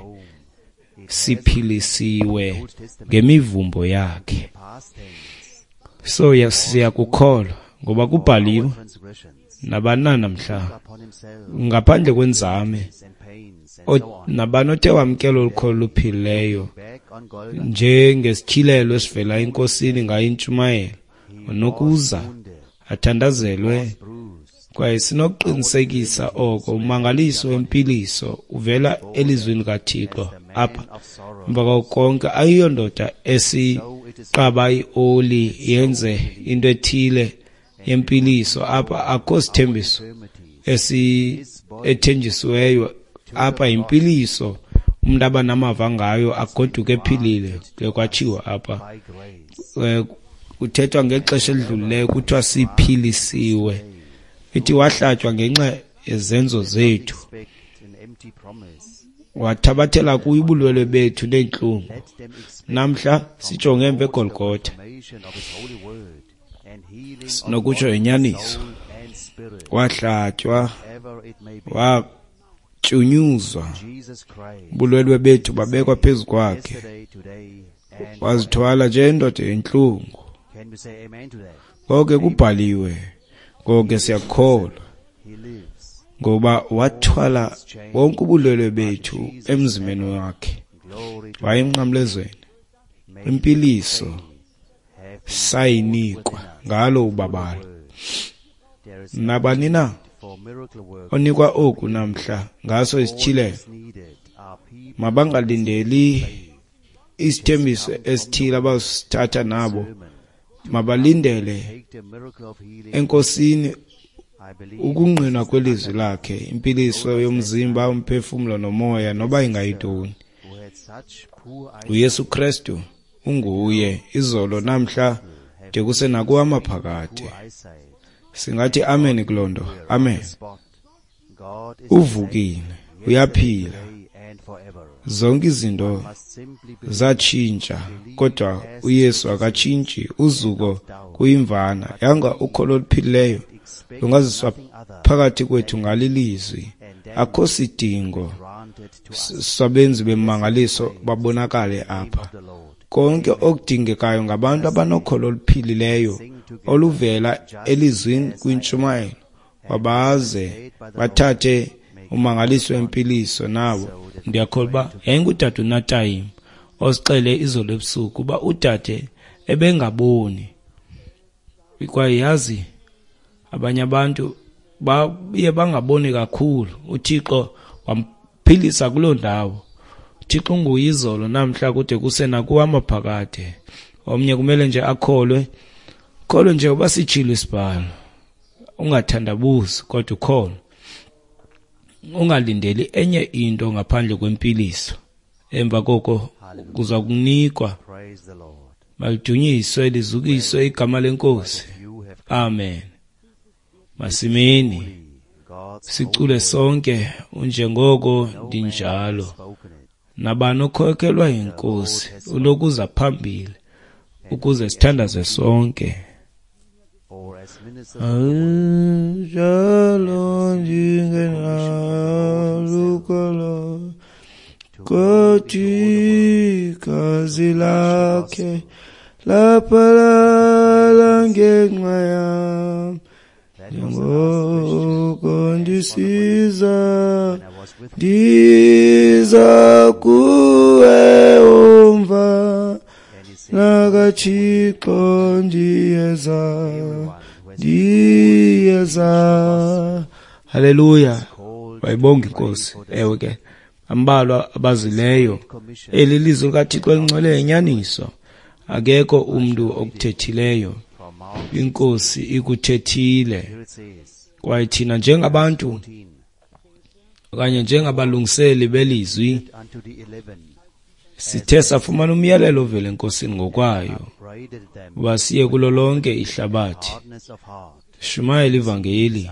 Siphilisiwe ngemivumbo yakhe. So siyakukholwa ngoba kubhaliwe nabani namhla ngaphandle kwenzame nabani othe wamkela olu kholo luphilileyo njengesityhilelo esivela eNkosini ngayo intshumayelo, unokuza athandazelwe. Kwaye sinokuqinisekisa oko ummangaliso wempiliso uvela elizwini kaThixo apha. Emva kwako konke, ayiyondoda esiqaba ioli yenze into ethile yempiliso apha. Akho sithembiso ethenjisiweyo apha. Yimpiliso umuntu aba namava ngayo agoduke ephilile. Kuye kwatshiwo apha, kuthethwa ngexesha elidlulileyo, kuthiwa siphilisiwe. Ithi wahlatywa ngenxa yezenzo zethu, wathabathela kuyo ubulwelwe bethu neentlungu. Namhla sijonge emva eGolgotha, sinokutsho inyaniso, wahlatywa, watyunyuzwa, ubulwelwe bethu babekwa phezu kwakhe, wazithwala njengendoda yentlungu. Konke kubhaliwe, konke siyakholwa, ngoba wathwala wonke ubulwelwe bethu emzimbeni wakhe, waye emnqamlezweni. Impiliso sayinikwa ngalo ubabalo. Nabani na onikwa oku namhla ngaso isityhilelo, mabangalindeli isithembiso esithile abasithatha nabo, mabalindele eNkosini ukungqinwa kwelizwi lakhe, impiliso yomzimba, umphefumlo nomoya, noba ingayintoni. uYesu Kristu unguye izolo, namhla, de kuse nakuwamaphakade. Singathi amen kuloo nto. Amen. Uvukile, uyaphila. Zonke izinto zatshintsha, kodwa uYesu akatshintshi. Uzuko kuyimvana. Yanga ukholo oluphilileyo lungaziswa phakathi kwethu ngalilizwi. Akho sidingo sabenzi bemangaliso babonakale apha. Konke okudingekayo ngabantu abanokholo oluphilileyo oluvela elizwini kwintshumayelo, wabaze bathathe umangaliso wempiliso nabo. Ndiyakholwa uba yayingudade uNatayim osixele izolo ebusuku uba udade ebengaboni. Kwaye yazi abanye abantu baye bangaboni kakhulu. uThixo wamphilisa kuloo ndawo. uThixo unguye izolo, namhla, kude kuse nakuwamaphakade. Omnye kumele nje akholwe, kholwe nje uba sitshilo isibhalo. Ungathandabuzi, kodwa ukholwe. Ungalindeli enye into ngaphandle kwempiliso. Emva koko kuza kunikwa. Malidunyiswe lizukiswe igama leNkosi. Amen. Masimeni sicule sonke unjengoko ndinjalo. Nabani okhokelwa yiNkosi ulokuza phambili ukuze sithandaze sonke. Njalo ndingenalukholo, kodwa igazi lakhe laphalala ngenxa yam. Njengoko ndisiza, ndiza kuwe umva nakaThixo, ndiyeza, ndiyeza. Haleluya. Wayibonga iNkosi. Ewe ke, Ambalwa abazileyo. Eli lizwi likaThixo elingcwele yinyaniso. Akekho umntu okuthethileyo. INkosi ikuthethile. Kwaye thina njengabantu okanye njengabalungiseli belizwi sithe safumana umyalelo ovela eNkosini ngokwayo uba siye kulo lonke ihlabathi, sishumayele ivangeli,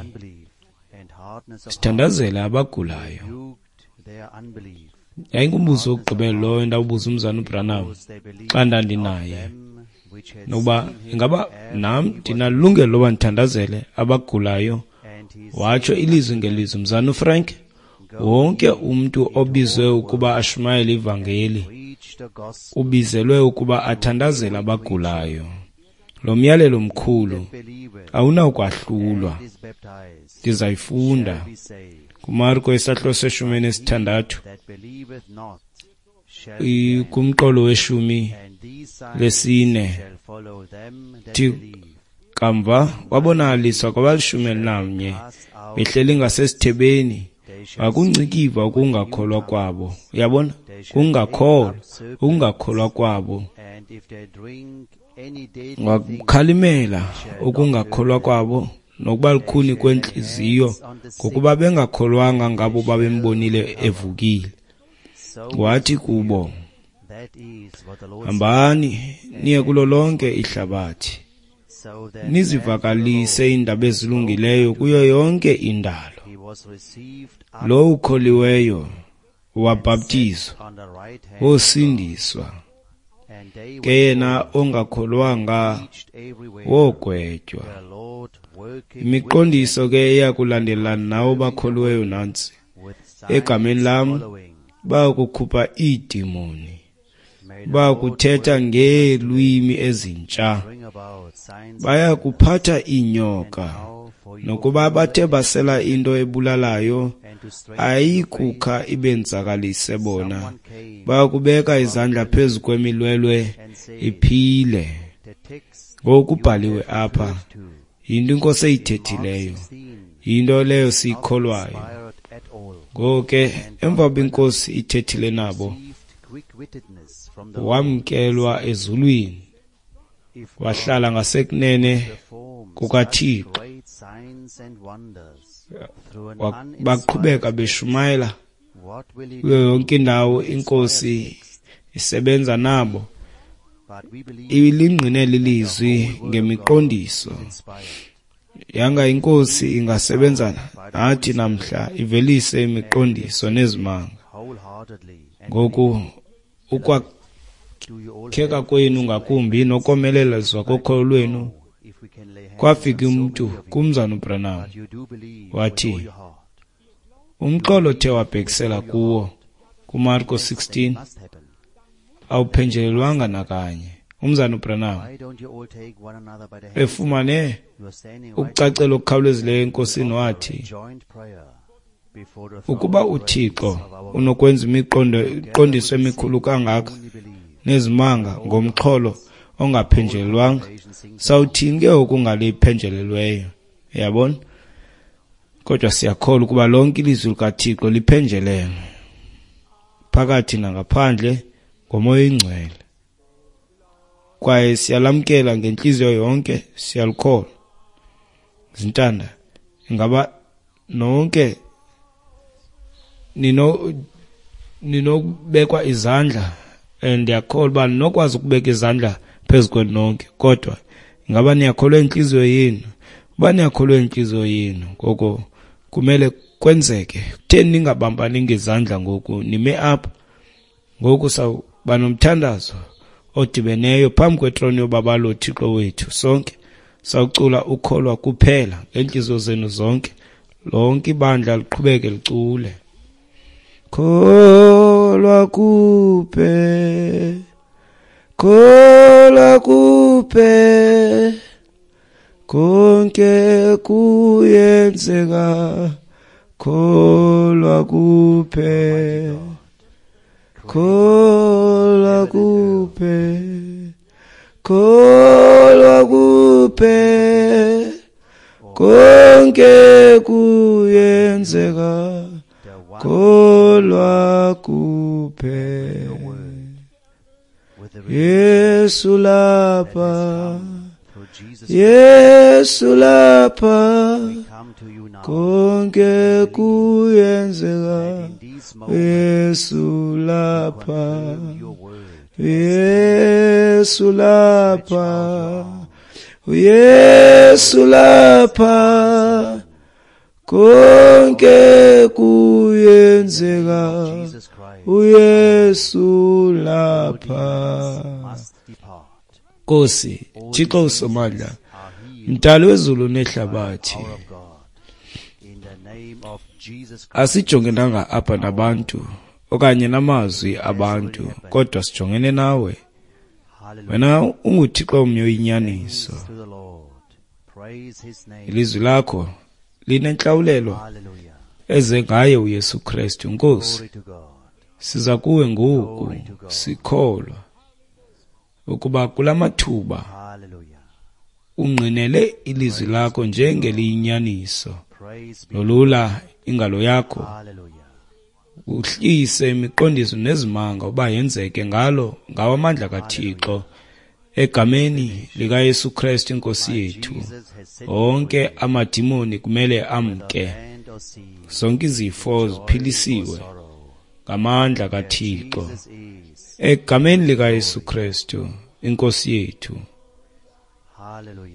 sithandazele abagulayo. Yayingumbuzo wokugqibela lowo endawubuza umzana uBranham xa ndandinaye, nokuba ingaba nam ndinalungelo loba ndithandazele abagulayo. Watsho ilizwi ngelizwi, mzana uFrank, wonke umntu obizwe ukuba ashumayele ivangeli ubizelwe ukuba athandazele abagulayo. Lo myalelo mkhulu awunawukwahlulwa. Ndizayifunda kuMarko isahluko se-16 kumqolo we-14. Kamva wabonakaliswa kwabali-11 behleli ngasesithebeni, wakungcikiva ukungakholwa kwabo. Uyabona, ukungakholwa kwabo. Wakukhalimela ukungakholwa kwabo nokuba lukhuni kwentliziyo, ngokuba bengakholwanga ngabo babembonile evukile. Wathi kubo, hambani niye kulo lonke ihlabathi, nizivakalise iindaba ezilungileyo kuyo yonke indalo. Lo ukholiweyo wabhaptizwa wosindiswa, ke yena ongakholwanga wogwetywa. Imiqondiso ke eyakulandelana nawo bakholiweyo nantsi: egameni lam bayakukhupha iidimoni, bayakuthetha ngeelwimi ezintsha, bayakuphatha iinyoka, nokuba bathe basela into ebulalayo ayikukha ibenzakalise bona, bayakubeka izandla phezu kwemilwelwe iphile. Ngokubhaliwe apha, yinto iNkosi eyithethileyo, yinto leyo siyikholwayo. Ngoko ke emva koba iNkosi ithethile nabo, wamkelwa ezulwini, wahlala ngasekunene kukaThixo. Baqhubeka beshumayela kuyo yonke indawo, iNkosi isebenza nabo, ilingqinele ilizwi ngemiqondiso. Yanga iNkosi ingasebenza nathi namhla, ivelise imiqondiso nezimanga. Ngoku ukwakheka kwenu ngakumbi nokomelezwa kokholo lwenu. Kwafika umntu kumzana uBranham wathi, umxholo othe wabhekisela kuwo kuMarko 16 awuphenjelelwanga nakanye. Umzana uBranham efumane ukucacela okukhawulezileyo eNkosini wathi, ukuba uThixo unokwenza imiqondiso emikhulu kangaka nezimanga ngomxholo ongaphenjelelwanga, sawuthini ke okungale iphenjelelweyo? Uyabona? Kodwa siyakholwa ukuba lonke ilizwi likaThixo liphenjelelwe phakathi nangaphandle ngoMoya oyiNgcwele, kwaye siyalamkela ngentliziyo yonke, siyalikholwa. Zintanda, ingaba nonke ninokubekwa izandla? Ndiyakholwa uba ninokwazi ukubeka izandla phezu kwenu nonke, kodwa ingaba niyakholwa intliziyo yenu? Uba niyakholwa intliziyo yenu, ngoko kumele kwenzeke. Kutheni ningabambani ngezandla ngoku? Nime apha ngoku, sawuba nomthandazo odibeneyo phambi kwetroni yobabalo Thixo wethu sonke. Sawucula ukholwa kuphela ngeentliziyo zenu zonke. Lonke ibandla liqhubeke licule. Kholwa kuphela, kholwa kuphela, konke kuyenzeka, kholwa kuphela, kholwa kuphela, kholwa kuphela, konke kuyenzeka, Kholwa kuphela. Yesu lapha, Yesu lapha, konke kuyenzeka. Yesu lapha, Yesu lapha, Yesu lapha, konke kuyenzeka. uYesu lapha. Nkosi Thixo uSomandla, mdali wezulu nehlabathi, asijongenanga apha nabantu okanye namazwi abantu, kodwa sijongene nawe. Wena unguThixo omnye oyinyaniso. Ilizwi lakho linentlawulelo eze ngaye uYesu Kristu. Nkosi, siza kuwe ngoku sikholwa ukuba kula mathuba ungqinele ilizwi lakho njengeliyinyaniso. Lolula ingalo yakho, uhlise imiqondiso nezimanga uba yenzeke ngalo ngawo amandla kaThixo, egameni likaYesu Kristu inkosi yethu. Onke amadimoni kumele amke, zonke izifo ziphilisiwe ngamandla kaThixo, egameni likaYesu Kristu inkosi yethu.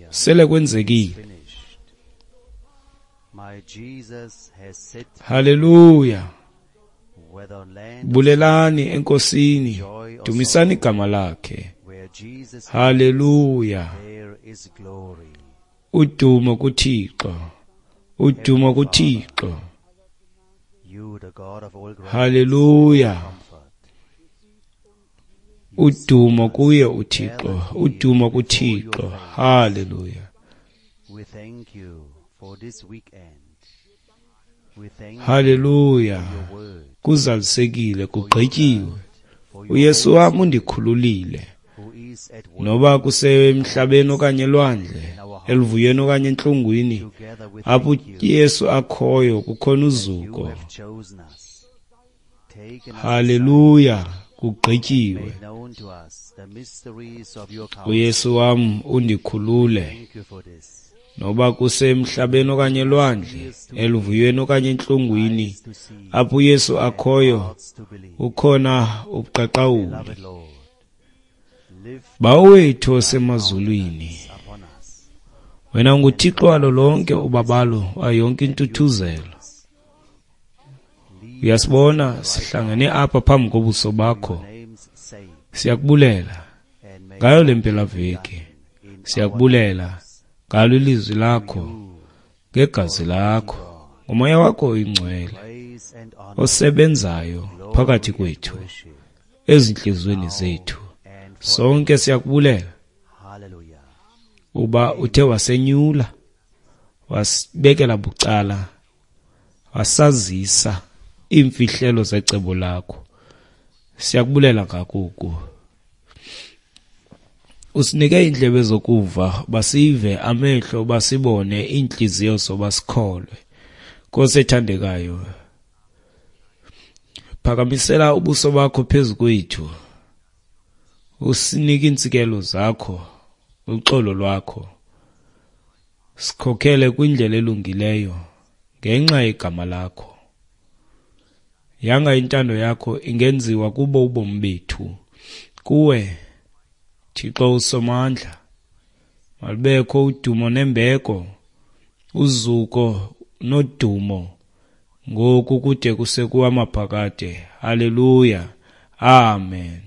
Sele kwenzekile. Haleluya. Bulelani enkosini, dumisani igama lakhe. Haleluya. Udumo kuThixo, udumo kuThixo. Haleluya. Udumo kuye uThixo, udumo kuThixo. Haleluya. Haleluya. Kuzalisekile, kugqityiwe. uYesu wam undikhululile, noba kusemhlabeni okanye elwandle, eluvuyweni okanye entlungwini, apho uYesu akhoyo kukhona uzuko. Haleluya, kugqityiwe. uYesu wam undikhulule, noba kusemhlabeni okanye elwandle, eluvuyweni okanye entlungwini, apho uYesu akhoyo ukhona ubuqaqawuli. Bawo wethu osemazulwini, wena unguThixo walo lonke ubabalo, wayo yonke intuthuzelo. Uyasibona sihlangene apha phambi kobuso bakho. Siyakubulela ngayo le mpelaveki, siyakubulela ngalo ilizwi lakho, ngegazi lakho, ngomoya wakho oyingcwele osebenzayo phakathi kwethu, ezintliziyweni zethu. Sonke siyakubulela uba uthe wasenyula, wasibekela bucala, wasazisa iimfihlelo zecebo lakho. Siyakubulela ngakuku. Usinike iindlebe zokuva, basive, amehlo basibone, iintliziyo zoba sikholwe. Nkosi ethandekayo, phakamisela ubuso bakho phezu kwethu, usinike iintsikelo zakho, uxolo lwakho. Sikhokhele kwindlela elungileyo ngenxa yegama lakho. Yanga intando yakho ingenziwa kubo ubomi bethu. Kuwe Thixo uSomandla, malubekho udumo nembeko, uzuko nodumo, ngoku kude kuse kuwamaphakade. Haleluya. Amen.